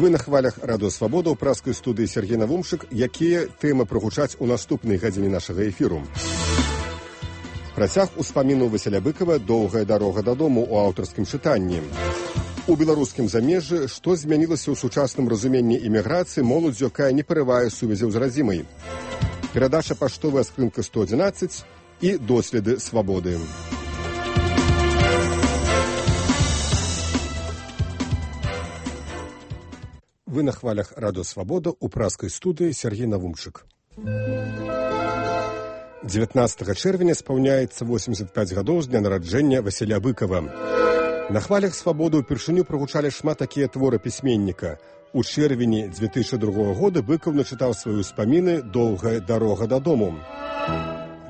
Вы на хвалях Радыё Свабода ў праскай студыі Сергей Навумшык, якія тэмы прагучаць у наступнай гадзіне нашага эфіру. Працяг успаміну Васіля Быкава «Доўгая дарога дадому» у аўтарскім чытанні. У беларускім замежжы што змянілася ў сучасным разуменні іміграцыі моладзь, якая не парывае сувязяў з радзімай. Перадача паштовая скрынка 111 і доследы свабоды. Вы на хвалях Радыё Свабода ў праскай студыі Сергей Навумчык. 19 чэрвеня спаўняецца 85 гадоў з дня нараджэння Васіля Быкава. На хвалях свабоды ўпершыню прагучалі шмат такія творы пісьменніка. У чэрвені 2002 года Быкаў начытаў свае ўспаміны «Доўгая дарога дадому».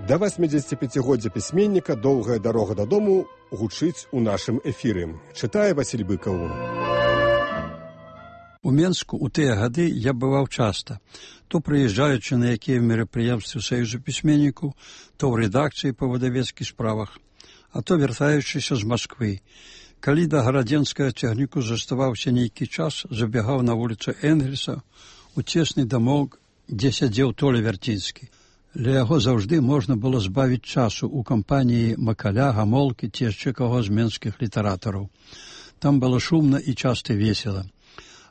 Да 85-годдзя пісьменніка «Доўгая дарога дадому» гучыць у нашым эфіры. Чытае Васіль Быкаў. У Менску ў тыя гады я бываў часта, то прыязджаючы на якія мерапрыемствы Саюзу пісьменнікаў, то ў рэдакцыі па выдавецкіх справах, а то вяртаючыся з Масквы. Калі да гарадзенскага цягніку заставаўся нейкі час, забегаў на вуліцу Энгельса у цесны дамок, дзе сядзеў Толя Вярцінскі. Ля яго заўжды можна было збавіць часу ў кампаніі Макаля, Гамолкі ці яшчэ каго з менскіх літаратараў. Там было шумна і часта весела.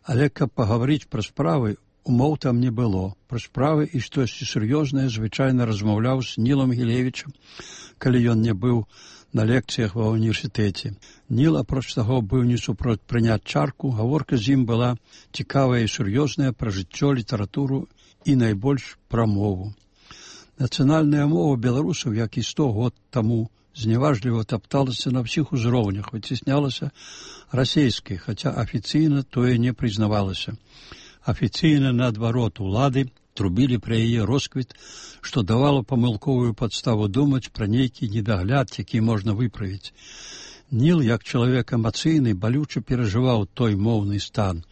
Але каб пагаварыць пра справы, умоў там не было. Пра справы і штосьці сур'ёзнае звычайна размаўляў з Нілам Гілевічам, калі ён не быў на лекцыях ва ўніверсітэце. Ніл, апроч таго, быў не супроць прыняць чарку, гаворка з ім была цікавая і сур'ёзная пра жыццё, літаратуру і найбольш пра мову. Нацыянальная мова беларусаў, як і 100 год таму, зневажліва тапталася на ўсіх узроўнях, выцеснялася расейскай, хаця афіцыйна тое не прызнавалася. Афіцыйна, наадварот, улады трубілі пра яе росквіт, што давала памылковую падставу думаць пра нейкі недагляд, які можна выправіць. Ніл, як чалавек эмацыйны, балюча перажываў той моўны стан.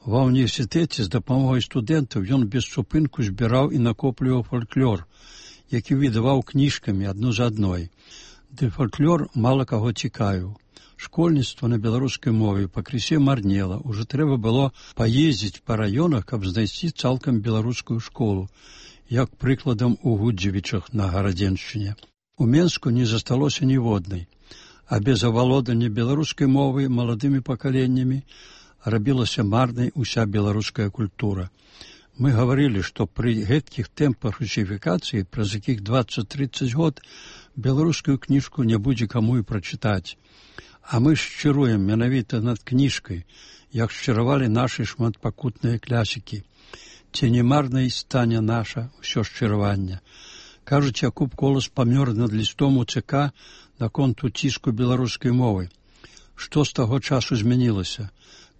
Ва ўніверсітэце з дапамогай студэнтаў ён без супынку збіраў і накопліваў фальклор, які выдаваў кніжкамі адну за адной. Ды фальклор мала каго цікавіў. Школьніцтва на беларускай мове пакрысе марнела. Ужо трэба было паездзіць па раёнах, каб знайсці цалкам беларускую школу, як прыкладам у Гудзевічах на Гарадзеншчыне. У Менску не засталося ніводнай, а без авалодання беларускай мовы маладымі пакаленнямі рабілася марнай уся беларуская культура. Мы гаварылі, што пры гэткіх тэмпах русіфікацыі, праз якіх 20-30 год, беларускую кніжку не будзе каму і прачытаць. А мы шчыруем менавіта над кніжкай, як шчыравалі нашы шматпакутныя клясікі. Ці не марнай стане наша ўсё шчыраванне. Кажуць, Якуб Колас памёр над лістом у ЦК наконт уціску беларускай мовы. Што з таго часу змянілася?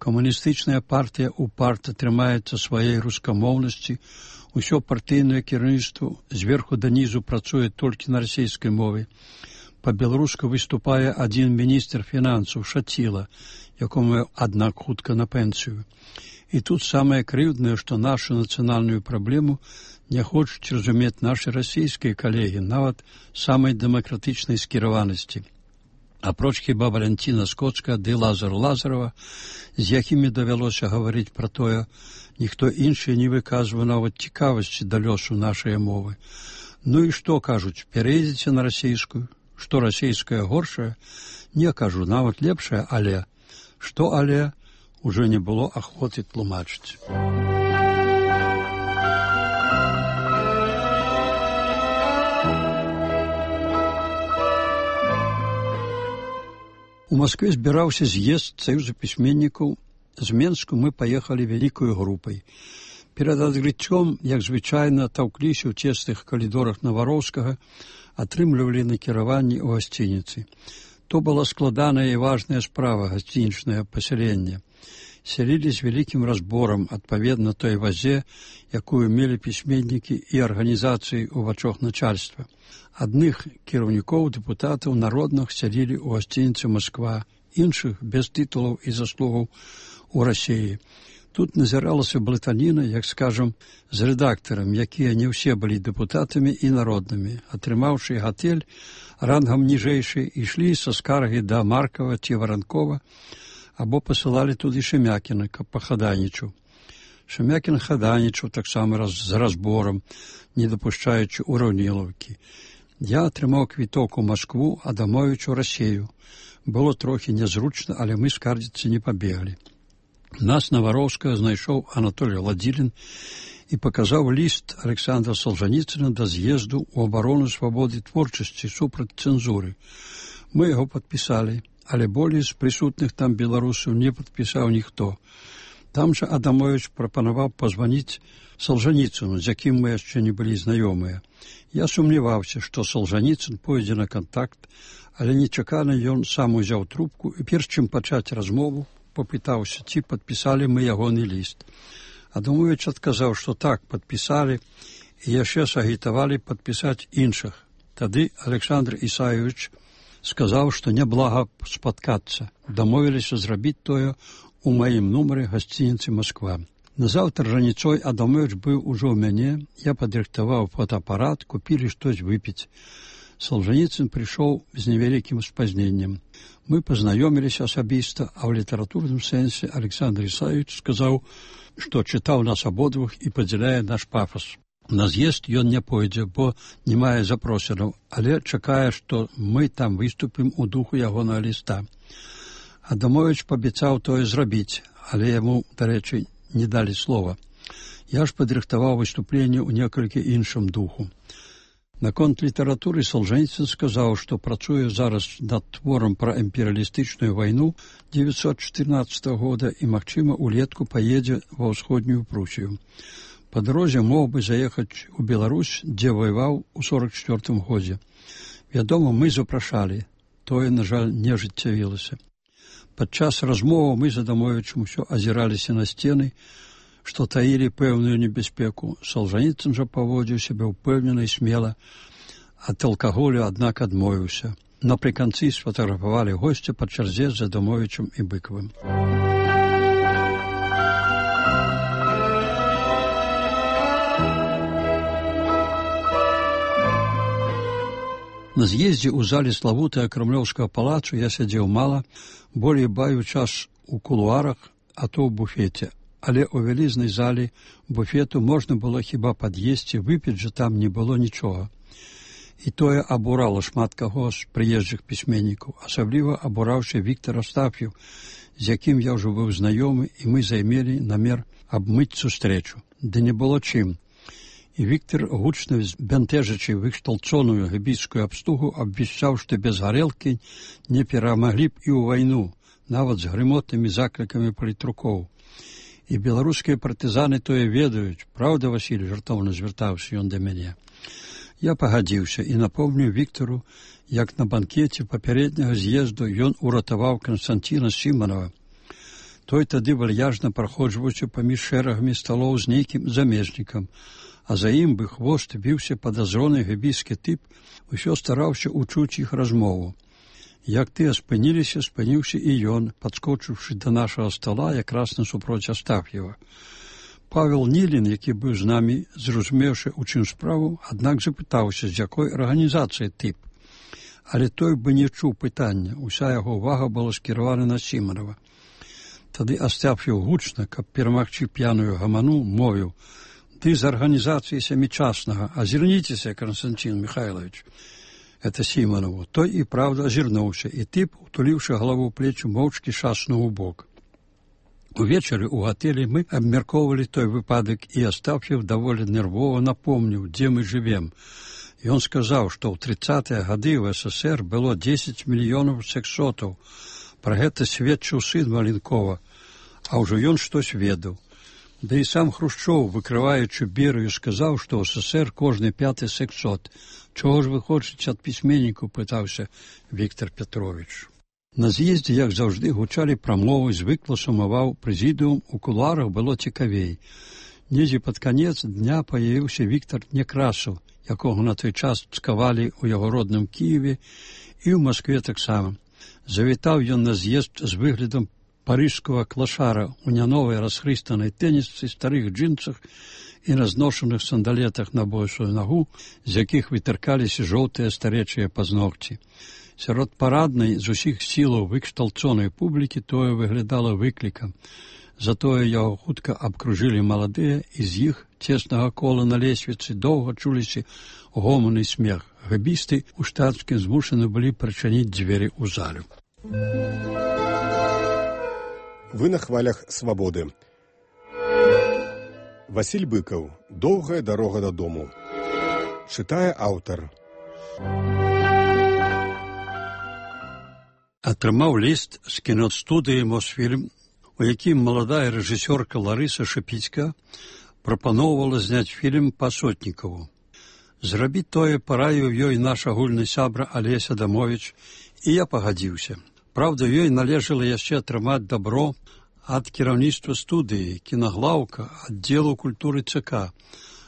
Камуністычная партыя упарта трымаецца сваёй рускамоўнасці, усё партыйнае кіраўніцтва зверху данізу працуе толькі на расейскай мове. Па-беларуску выступае адзін міністр фінансаў Шаціла, якому, аднак, хутка на пенсію. І тут самае крыўднае, што нашу нацыянальную праблему не хочуць разумець нашы расійскія калегі, нават самай дэмакратычнай скіраванасці. Апроч хіба Валянціна Скоцка ды Лазару Лазарова, з якімі давялося гаварыць пра тое, ніхто іншы не выказвае нават цікавасці да лёсу нашай мовы. Ну і што кажуць, пераедзеце на расійскую? Што расійская горшая? Не кажу, нават лепшая, але. Што але? Ужо не было ахвоты тлумачыць. У Маскве збіраўся з'езд Саюза пісьменнікаў. З Менску мы паехалі вялікаю групай. Перад адкрыццём, як звычайна, таўкліся ў цесных калідорах Навароўскага, атрымлівалі накіраванні ў гасцініцы. То была складаная і важная справа гасцінічнае пасяленне. Сялілі з вялікім разборам, адпаведна той вазе, якую мелі пісьменнікі і арганізацыі ў вачах начальства. Адных кіраўнікоў, дэпутатаў народных сялілі ў гасцініцы Масква, іншых без тытулаў і заслугаў у Расіі. Тут назіралася блытаніна, як скажам, з рэдактарам, якія не ўсе былі дэпутатамі і народнымі. Атрымаўшы гатэль рангам ніжэйшы, ішлі са скаргі да Маркава ці Варанкова, або пасылалі туды Шемякіна, каб пахадайнічаў. Шемякін хадайнічаў таксама з разборам, не дапушчаючы ураўнілаўкі. Я атрымаў квіток у Маскву, Адамовіч у Расею. Было трохі нязручна, але мы скардзіцца не пабеглі. Нас на Вароўскага знайшоў Анатолій Ладзілін і паказаў ліст Александра Солжаніцына да з'езду ў абарону свабоды творчасці супраць цэнзуры. Мы яго падпісалі, але болей з прысутных там беларусаў не падпісаў ніхто. Там жа Адамовіч прапанаваў пазваніць Солжаніцыну, з якім мы яшчэ не былі знаёмыя. Я сумняваўся, што Солжаніцын пойдзе на кантакт, але нечакана ён сам узяў трубку і перш чым пачаць размову, попытаўся, ці падпісалі мы ягоны ліст. Адамовіч адказаў, што так, падпісалі і яшчэ сагітавалі падпісаць іншых. Тады Александр Ісаевич сказаў, што няблага спаткацца. Дамовіліся зрабіць тое у маім нумары гасцініцы Масква. Назаўтра раніцой Адамовіч быў ужо ў мяне, я падрыхтаваў фотоапарат, купілі штось выпіць. Солжаніцын прыйшоў з невялікім спазненнем. Мы пазнаёміліся асабіста, а ў літаратурным сэнсе Александр Ісаевич сказаў, што чытаў нас абодвух і падзяляе наш пафас. На з'езд ён не пойдзе, бо не мае запрошанаў, але чакае, што мы там выступім у духу ягонага ліста. Адамовіч паабяцаў тое зрабіць, але яму, дарэчы, не далі слова. Я ж падрыхтаваў выступленне ў некалькі іншым духу. Наконт літаратуры Солжаніцын сказаў, што працуе зараз над творам пра імперыялістычную вайну 1914 года і, магчыма, улетку паедзе ва ўсходнюю Прусію. Па дарозе мог бы заехаць у Беларусь, дзе ваяваў у 1944 годзе. Вядома, мы запрашалі. Тое, на жаль, не ажыццявілася. Падчас размовы мы з Адамовічам усё азіраліся на сцены, што таілі пэўную небяспеку. Солжаніцын жа паводзіў сябе ўпэўнена і смела. Ад алкаголю, аднак, адмовіўся. Напрыканцы сфатаграфавалі госця па чарзе з Адамовічам і Быкавым. На з'ездзе ў зале славутага Крамлёўскага палацу я сядзеў мала, болей бавіў час у кулуарах, а то ў буфеце. Але ў вялізнай залі буфету можна было хіба пад'есці, выпіць жа там не было нічога. І тое абурала шмат каго з прыезджых пісьменнікаў, асабліва абураўся Віктор Астаф'еў, з якім я ўжо быў знаёмы, і мы займелі намер абмыць сустрэчу. Ды не было чым. І Віктор, гучна збянтэжачы выкшталцоную гэбійскую абстугу, абвяшчаў, што без гарэлкі не перамаглі б і ў вайну, нават з грымотнымі заклікамі палітрукоў. І беларускія партызаны тое ведаюць. Праўда, Васіль, жартоўна звяртаўся ён да мяне. Я пагадзіўся і напомніў Віктару, як на банкеце папярэдняга з'езду ён уратаваў Канстанціна Сіманова. Той тады вальяжна праходжваўся паміж шэрагамі сталоў з нейкім замежнікам, а за ім бы хвост біўся падазроны гэбійскі тып, усё стараўся учуць іх размову. Як тыя спыніліся, спыніўся і ён, падскочыўшы да нашага стала якраз насупроць Астаф'ева. Павел Нілін, які быў з намі, зразумеўшы, у чым справу, аднак запытаўся, з якой арганізацыі тып. Але той бы не чуў пытання, уся яго ўвага была скіравана на Сіманова. Тады Астаф'еў гучна, каб перамагчы п'яную гаману, мовіў: «Ты з арганізацыі сямічаснага, азірніцеся, Константин Михайлович». Это Сіманову. Той і правда азірнуўся, і тып, утуліўшы галаву ў плечы, моўчкі шаснуў у бок. Увечары ў гатэлі мы абмяркоўвалі той выпадак, і Астаф'еў даволі нервова напомніў, дзе мы жывем. Ён сказаў, што ў 30-е гады ў СССР было 10 мільёнаў сексотаў. Пра гэта сведчыў сын Маленкова, а ўжо ён штось ведаў. Да і сам Хрушчоў, выкрываючы Берыю, сказаў, што ў СССР кожны 5-й сексот. «Чого ж ви хочете ад пісьменніку?» – пытаўся Віктор Петрович. На з'ездзе, як заўжды, гучалі прамовы, звыкла сумаваў прэзідыум, у кулуарах было цікавей. Недзе пад канец дня паявіўся Віктор Некрасаў, якога на той час цкавалі ў яго родным Кіеве і ў Маскве таксама. Завітаў ён на з'езд з выглядам парыжскага клашара у няновай расхрыстанай тэнісцы, старых джинсах і разношаных сандалетах на босую нагу, з якіх вытыркаліся жоўтыя старэчыя пазногці. Сярод параднай з усіх сілаў выкшталцонай публікі тое выглядала выклікам. Затое яго хутка абкружылі маладыя, і з іх цеснага кола на лесвіцы доўга чуліся гоман і смех. Габісты ў штатскім змушаны былі прачыніць дзверы ў залю. Вы на хвалях свабоды. Васіль Быкаў. Доўгая дарога дадому. Чытае аўтар. Атрымаў ліст з кіностудыі «Мосфільм», у якім маладая рэжысёрка Ларыса Шапіцька прапаноўвала зняць фільм па Сотнікаву. Зрабіць тое параіў ёй наш агульны сябра Алеся Адамовіч, і я пагадзіўся. Праўда, ёй належала яшчэ атрымаць дабро ад кіраўніцтва студыі, кінаглаўка, аддзелу культуры ЦК,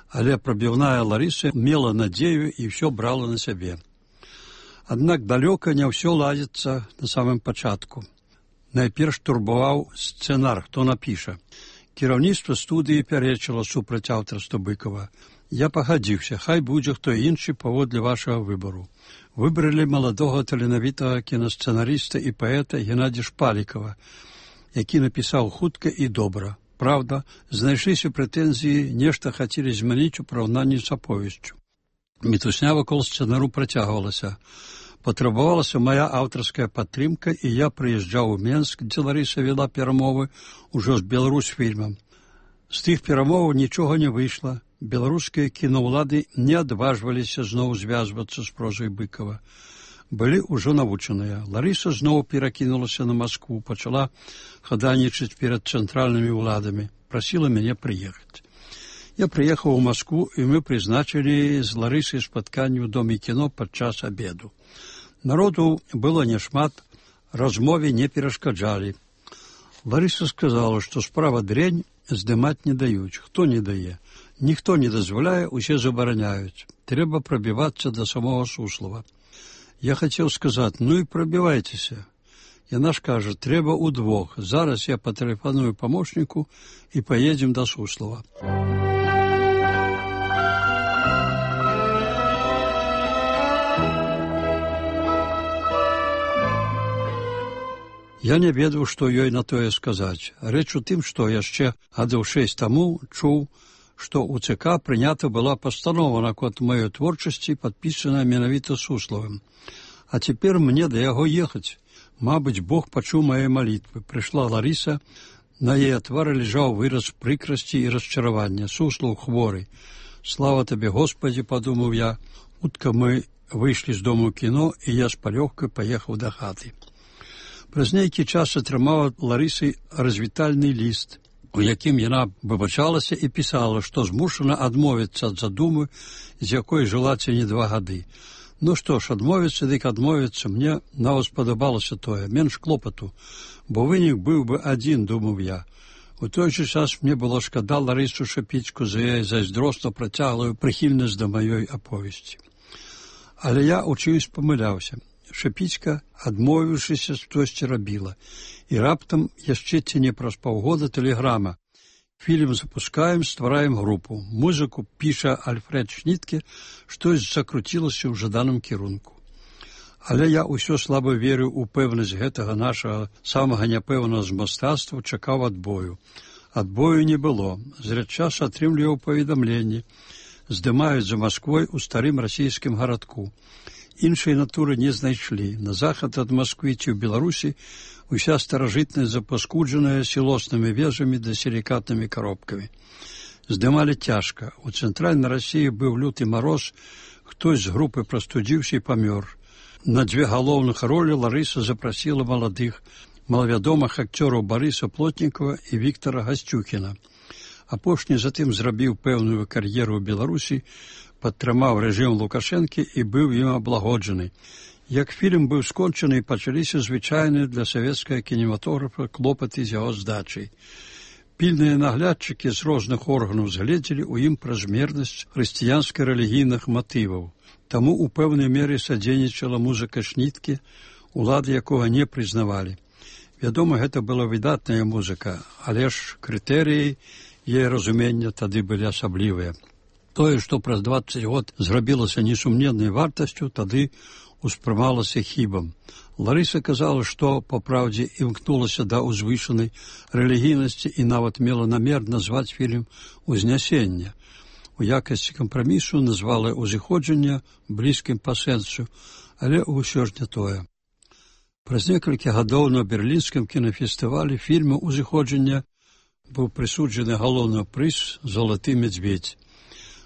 але прабіўная Ларыса мела надзею і ўсё брала на сябе. Аднак далёка не ўсё ладзіцца на самым пачатку. Найперш турбаваў сцэнар, хто напіша. Кіраўніцтва студыі пярэчыла супраць аўтарства Быкава. Я пагадзіўся, хай будзе хто іншы паводле вашага выбару. Выбралі маладога таленавітага кінасцэнарыста і паэта Геннадзя Шпалікава, які напісаў хутка і добра. Праўда, знайшліся прэтэнзіі, нешта хацелі змяніць у параўнанні з аповесцю. Мітусня вакол сцэнару працягвалася. Патрабавалася мая аўтарская падтрымка, і я прыязджаў у Менск, дзе Ларыса вела перамовы ўжо з Беларусьфільмам. З тых перамоваў нічога не выйшла. Беларускія кінаўлады не адважваліся зноў звязвацца з прозай Быкава. Былі ўжо навучаныя. Ларыса зноў перакінулася на Маскву, пачала хаданічаць перад цэнтральнымі ўладамі, прасіла мяне прыехаць. Я прыехаў у Маскву, і мы прызначылі з Ларысай спатканне ў Доме кіно падчас абеду. Народу было няшмат, размове не перашкаджалі. Ларыса сказала, што справа дрэнь, здымаць не даюць. Хто не дае? Ніхто не дазваляе, усе забараняюць. Трэба прабівацца да самого Суслова. Я хацеў сказаць, ну і прабівайцеся. Яна ж кажа, трэба ўдвох. Зараз я патэлефаную памочніку і паедзем да Суслова. Я не ведаў, што ёй на тое сказаць. Рэч у тым, што яшчэ гадоў 6 таму чуў, што ў ЦК прынята была пастанова наконт маёй творчасці, падпісаная менавіта Сусловым. А цяпер мне да яго ехаць. Мабыць, Бог пачуў мае малітвы. Прыйшла Ларыса, на яе твары ляжаў выраз прыкрасці і расчаравання. Суслаў хворы. Слава табе, Господі, падумаў я. Хутка мы выйшлі з дому кіно, і я з палёгкай паехаў да хаты. Праз нейкі час атрымала Ларысы развітальны ліст, у якім яна выбачалася і пісала, што змушана адмовіцца ад задумы, з якой жыла ці не 2 гады. Ну што ж, адмовіцца, дык адмовіцца, мне нават спадабалася тое, менш клопату, бо вынік быў бы адзін, думаў я. У той жа час мне было шкада Ларысу Шапіцьку за яе зайздросна працяглую прыхільнасць да маёй аповесці. Але я у чымсь памыляўся. Шапіцька, адмовіўшыся, штосьці рабіла. І раптам яшчэ ці не праз паўгода тэлеграма. Фільм запускаем, ствараем групу. Музыку піша Альфред Шнітке, штось закруцілася ў жаданым кірунку. Але я ўсё слаба верыў у пэўнасць гэтага нашага самага няпэўнага з мастацтва, чакаў адбою. Адбою не было. Зрэдчас атрымліваў паведамленні. Здымаюць за Масквой у старым расійскім гарадку. Іншай натуры не знайшлі. На захад ад Масквы ці ў Беларусі уся старажытнасць запаскуджаная сілоснымі вежамі да сілікатнымі коробкамі. Здымалі цяжка. У цэнтральнай Расіі быў люты мароз, хтось з групы прастудзіўся і памёр. На 2 галоўных ролі Ларыса запрасіла маладых, малавядомых акцёраў Барыса Плотнікава і Віктара Гасцюкіна. Апошні затым зрабіў пэўную кар'еру ў Беларусі, падтрымаў рэжым Лукашэнкі і быў ім аблагоджаны. Як фільм быў скончаны, пачаліся звычайныя для савецкага кінематографа клопаты з яго здачай. Пільныя наглядчыкі з розных органаў згледзелі ў ім празмернасць хрысціянска-рэлігійных матываў. Таму у пэўнай меры садзейнічала музыка Шніткі, улады якога не прызнавалі. Вядома, гэта была выдатная музыка, але ж крытэрыі яе разумення тады былі асаблівыя. Тое, што праз 20 год зрабілася несумненнай вартасцю, тады успрымалася хібам. Ларыса казала, што, па праўдзе, імкнулася да ўзвышанай рэлігійнасці і нават мела намер назваць фільм «Узнясенне». У якасці кампрамісу назвала «Узыходжанне» блізкім па сэнсу, але ўсё ж не тое. Праз некалькі гадоў на берлінскім кінафестывалі фільму «Узыходжанне» быў прысуджаны галоўны прыз «Залаты медведь».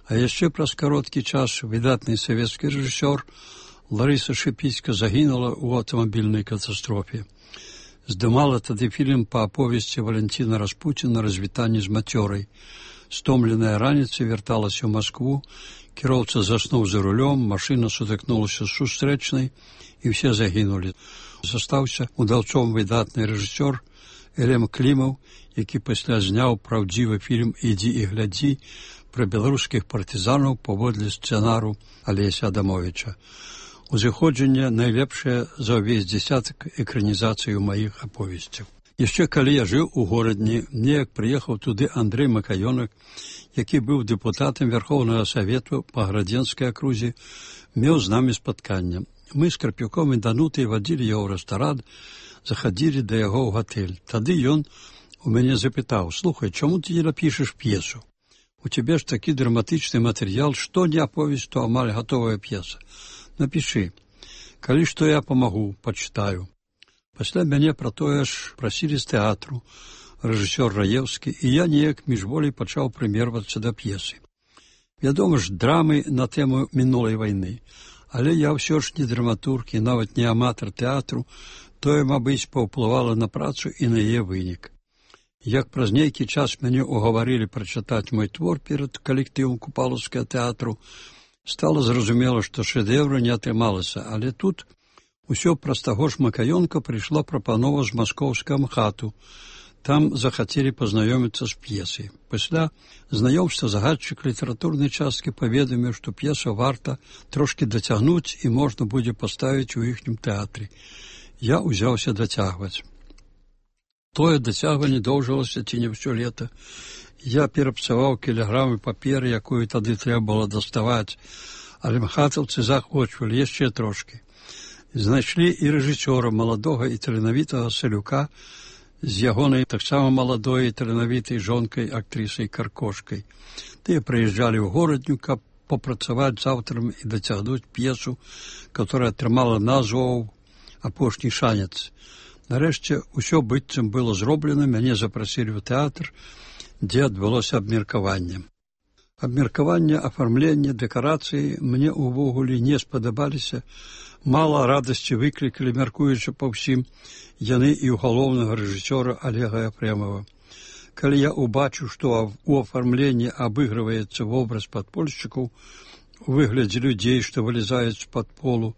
А яшчэ праз кароткі час выдатны савецкі рэжысёр Ларыса Шипіцька загінула ў аўтамабільнай катастрофе. Здымала тады фільм па аповесці Валентина Распуціна «Развітанне з мацёрай». Стомленая раніцай вярталася ў Маскву, кіроўца заснуў за рулём, машына сутыкнулася з сустрэчнай, і ўсе загінулі. Застаўся удаўцом выдатны рэжысёр Элем Клімаў, які пасля зняў праўдзівы фільм «Ідзі і глядзі» пра беларускіх партызанаў паводле сцэнару Алеся Адамовіча. «Узыходжанне» найлепшае за ўвесь дзесятак экранізацый у маіх аповесцях. Яшчэ калі я жыў у горадні, неяк прыехаў туды Андрэй Макаёнак, які быў дэпутатам Верхоўнага Савету па Градзенскай акрузе, меў з намі спатканне. Мы з Карпюком і Данутай вадзілі яго ў рэстаран, захадзілі да яго ў гатэль. Тады ён у мяне запытаў: «Слухай, чаму ты не напішаш п'есу? У цябе ж такі драматычны матэрыял, што не аповесць, то амаль гатовая п'еса. Напішы. Калі што я памагу, пачытаю». Пасля мяне пра тое ж прасілі з тэатру рэжысёр Раеўскі, і я неяк міжволей пачаў прымервацца да п'есы. Вядома ж, драмы на тэму мінулай вайны, але я ўсё ж не драматург і нават не аматар тэатру, тое, мабыць, паўплывала на працу і на яе вынік. Як праз нейкі час мяне угаварылі прачытаць мой твор перад калектывам Купалаўскага тэатру, стала зразумела, што шэдэўра не атрымалася, але тут усё праз таго ж Макаёнка прыйшла прапанова з маскоўскага МХАТу. Там захацелі пазнаёміцца з п'есай. Пасля знаёмства загадчык літаратурнай часткі паведаміў, што п'есу варта трошкі дацягнуць і можна будзе паставіць у іхнім тэатры. Я ўзяўся дацягваць. Тое дацягванне доўжылася ці не ўсё лета. Я перапсаваў кілаграмы паперы, якую тады трэба было даставаць, але мхатаўцы захвочвалі яшчэ трошкі. Знайшлі і рэжысёра маладога і таленавітага Салюка з ягонай таксама маладой і таленавітай жонкай, актрысай Каркошкай. Тыя прыязджалі ў горадню, каб попрацаваць з аўтарам і дацягнуць п'есу, которая атрымала назву «Апошні шанец». Нарэшце, усё быццам было зроблена, мяне запрасілі ў тэатр, дзе адбылося абмеркаванне. Абмеркаванне, афармленне, дэкарацыі мне ўвогуле не спадабаліся. Мала радасці выклікалі, мяркуючы па ўсім, яны і ў галоўнага рэжысёра Олега Ефремова. Калі я убачыў, што у афармленні абыгрываецца вобраз падпольшчыкаў у выглядзе людзей, што вылезаюць з-пад полу,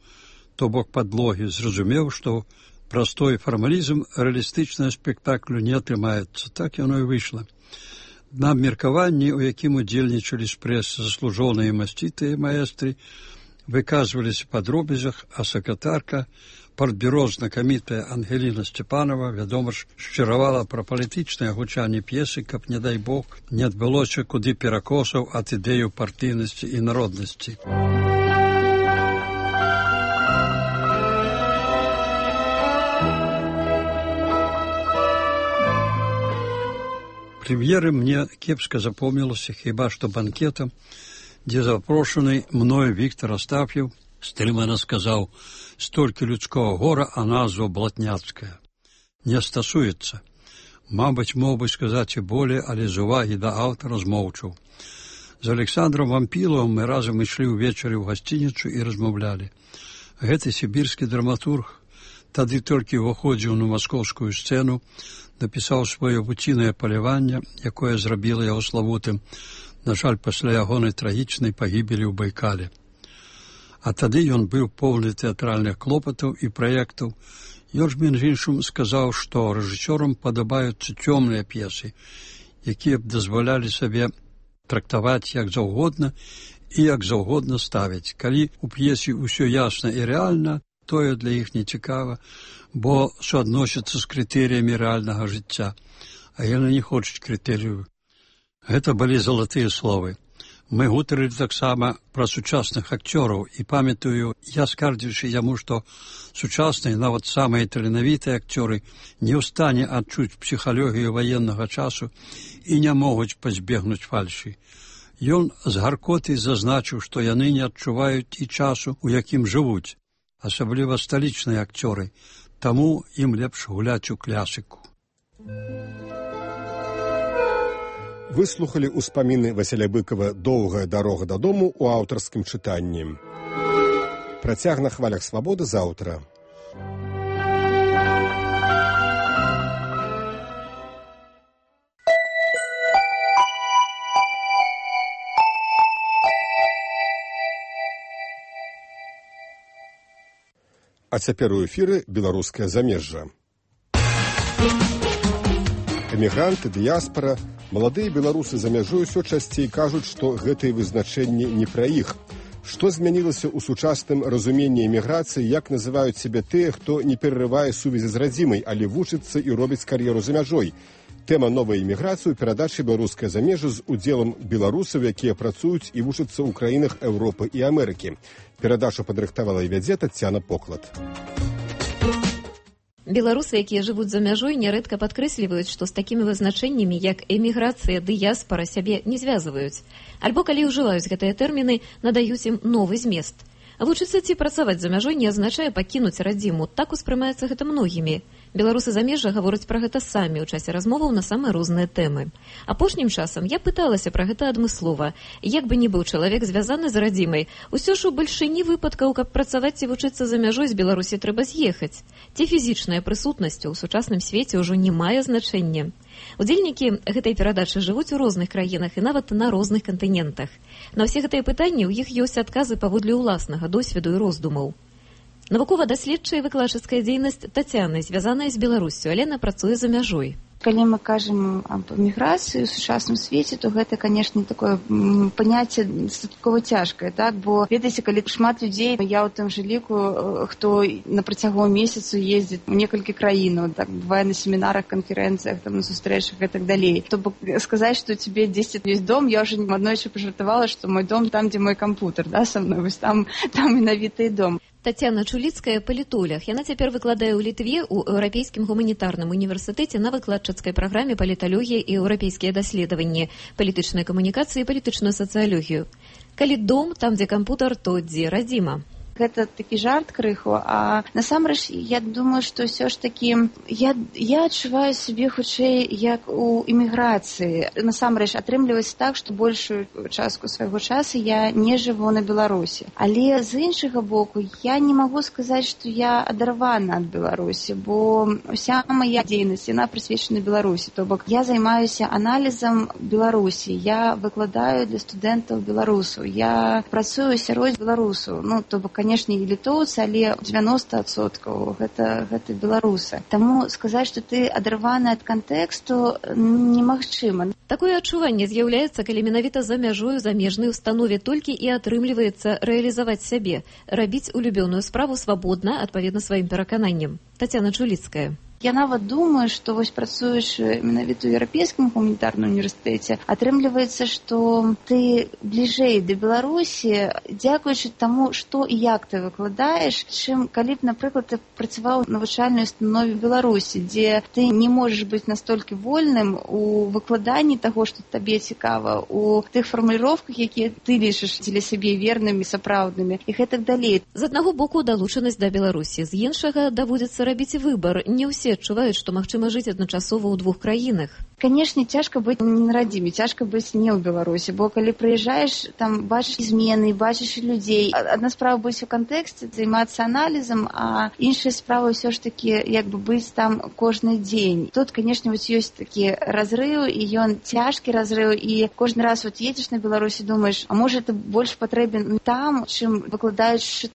то бок падлогі, зразумеў, што простой фармалізм рэалістычнага спектаклю не атрымаецца. Так яно і выйшла. На абмеркаванні, у якім удзельнічалі з прэсы заслужоныя масцітыя маэстры, выказваліся па дробязях, а сакратарка партбюро знакамітая Ангеліна Сцепанова, вядома ж, шчыравала пра палітычнае гучанне п'есы, каб, не дай Бог, не адбылося куды перакосаў ад ідэю партыйнасці і народнасці. Прэм'еры мне кепска запомнілася хіба што банкетам, дзе запрошаны мною Віктор Астаф'ев стрымана сказаў: «Столькі людского гора, а назва блатняцкая. Не стасуецца». Мабыць, мог бы сказаць і болей, але з увагі да аўтара змоўчаў. З Александром Вампіловым мы разам ішлі ўвечары ў гасцініцу і размаўлялі. Гэты сібірскі драматург тады толькі ўваходзіў на маскоўскую сцэну, напісаў сваё вуцінае паляванне, якое зрабіла яго славутым, на жаль, пасля ягонай трагічнай пагібелі ў Байкале. А тады ён быў поўны тэатральных клопатаў і праектаў. Ён ж, між іншым, сказаў, што рэжысёрам падабаюцца цёмныя п'есы, якія б дазвалялі сабе трактаваць як заўгодна і як заўгодна ставіць. Калі ў п'есе ўсё ясна і рэальна, тое для іх не цікава, бо суадносіцца з крытэрыямі рэальнага жыцця, а яны не хочуць крытэрыяў. Гэта былі залатыя словы. Мы гутарылі таксама пра сучасных акцёраў, і памятаю, я скардзіўся яму, што сучасныя, нават самыя таленавітыя акцёры не ў стане адчуць псіхалогію ваеннага часу і не могуць пазбегнуць фальшы. Ён з гаркотай зазначыў, што яны не адчуваюць і часу, у якім жывуць, асабліва сталічныя акцёры, таму ім лепш гуляць у клясіку. Выслухалі ўспаміны Васіля Быкава «Доўгая дарога дадому» у аўтарскім чытанні. Працяг на хвалях свабоды заўтра. А цяпер у эфіры беларускае замежжа. Эмігранты, дыяспара, маладыя беларусы за мяжой усё часцей кажуць, што гэтыя вызначэнні не пра іх. Што змянілася ў сучасным разуменні эміграцыі, як называюць сябе тыя, хто не перарывае сувязі з радзімай, але вучыцца і робіць кар'еру за мяжой. Тэма новай эміграцыі ў перадачы «Беларускае замежжа» з удзелам беларусаў, якія працуюць і вучацца ў краінах Еўропы і Амерыкі. Перадачу падрыхтавала і вядзе Тацяна Поклад. Беларусы, якія жывуць за мяжой, нярэдка падкрэсліваюць, што з такімі вызначэннямі, як эміграцыя, дыяспара, сябе не звязваюць. Альбо, калі ўжываюць гэтыя тэрміны, надаюць ім новы змест. Вучыцца ці працаваць за мяжой не азначае пакінуць радзіму. Так успрымаецца гэта многімі. Беларусы замежжа гавораць пра гэта самі ў часе размоваў на самыя розныя тэмы. Апошнім часам я пыталася пра гэта адмыслова. Як бы ні быў чалавек звязаны з радзімай, усё ж у бальшыні выпадкаў, каб працаваць ці вучыцца за мяжой, з Беларусі трэба з'ехаць. Ці фізічная прысутнасць у сучасным свеце ўжо не мае значэння. Удзельнікі гэтай перадачы жывуць у розных краінах і нават на розных кантынентах. На ўсе гэтыя пытанні ў іх ёсць адказы паводле ўласнага досведу і роздумаў. Навукова-даследчая і выкладчыцкая дзейнасць Тацяны звязаная з Беларуссю, але яна працуе за мяжой. Калі мы кажам аб эміграцыі ў сучасным свеце, то гэта, канешне, такое паняцце дастаткова цяжкае, так? Бо, ведаеце, калі шмат людзей, я ў тым жа ліку, хто на працягу месяцу ездзіць у некалькі краінаў, так, бывае на семінарах, канферэнцыях, там, на сустрэчах і так далей. То бок сказаць, што у цябе 10 ёсць дом, я ўжо аднойчы пажартавала, што мой дом там, дзе мой кампутер, да, са мной, вось там менавіта і дом. Тацяна Чуліцкая – палітолог. Яна цяпер выкладае ў Літве ў Еўрапейскім гуманітарным універсітэце на выкладчыцкай праграме паліталогія і еўрапейскія даследаванні, палітычныя камунікацыі і палітычную сацыялогію. Калі дом, там, дзе кампутар, то дзе радзіма. Гэта такі жарт крыху, а насамрэч я думаю, што ўсё ж такі я адчуваю сябе хутчэй як у эміграцыі. Насамрэч атрымліваецца так, што большую частку свайго часу я не жыву на Беларусі. Але з іншага боку я не магу сказаць, што я адарвана ад Беларусі, бо ўся мая дзейнасць, яна прысвечана Беларусі. То бок я займаюся аналізам Беларусі, я выкладаю для студэнтаў беларусаў, я працую сярод беларусаў, ну, то бок, канешне, і літоўцы, але 90% гэта беларусы. Таму сказаць, што ты адарваны ад кантэксту, немагчыма. Такое адчуванне з'яўляецца, калі менавіта за мяжою замежнай установе толькі і атрымліваецца рэалізаваць сябе, рабіць улюбёную справу свабодна, адпаведна сваім перакананням. Тацяна Чуліцкая. Я нават думаю, што вось працуючы менавіта ў Еўрапейскім гуманітарным універсітэце, атрымліваецца, што ты бліжэй да Беларусі, дзякуючы таму, што і як ты выкладаеш, чым калі б, напрыклад, ты працаваў у навучальнай установе Беларусі, дзе ты не можаш быць настолькі вольным у выкладанні таго, што табе цікава, у тых фармуліроўках, якія ты лічыш дзеля сябе вернымі, сапраўднымі і гэтак далей. З аднаго боку далучанасць да Беларусі, з іншага даводзіцца рабіць выбар. Не ўсе адчуваюць, што магчыма жыць адначасова ў двух краінах. Канешне, цяжка быць не на радзіме, цяжка быць не ў Беларусі, бо калі прыязджаеш, там бачыш змены, бачыш людзей. Адна справа быць у кантэксце, займацца аналізам, а іншая справа ўсё ж такі як бы быць там кожны дзень. Тут, канешне, вось ёсць такі разрыў, і ён цяжкі разрыў, і кожны раз вот едзеш на Беларусі, думаеш, а можа ты больш патрэбен там, чым выкладаючы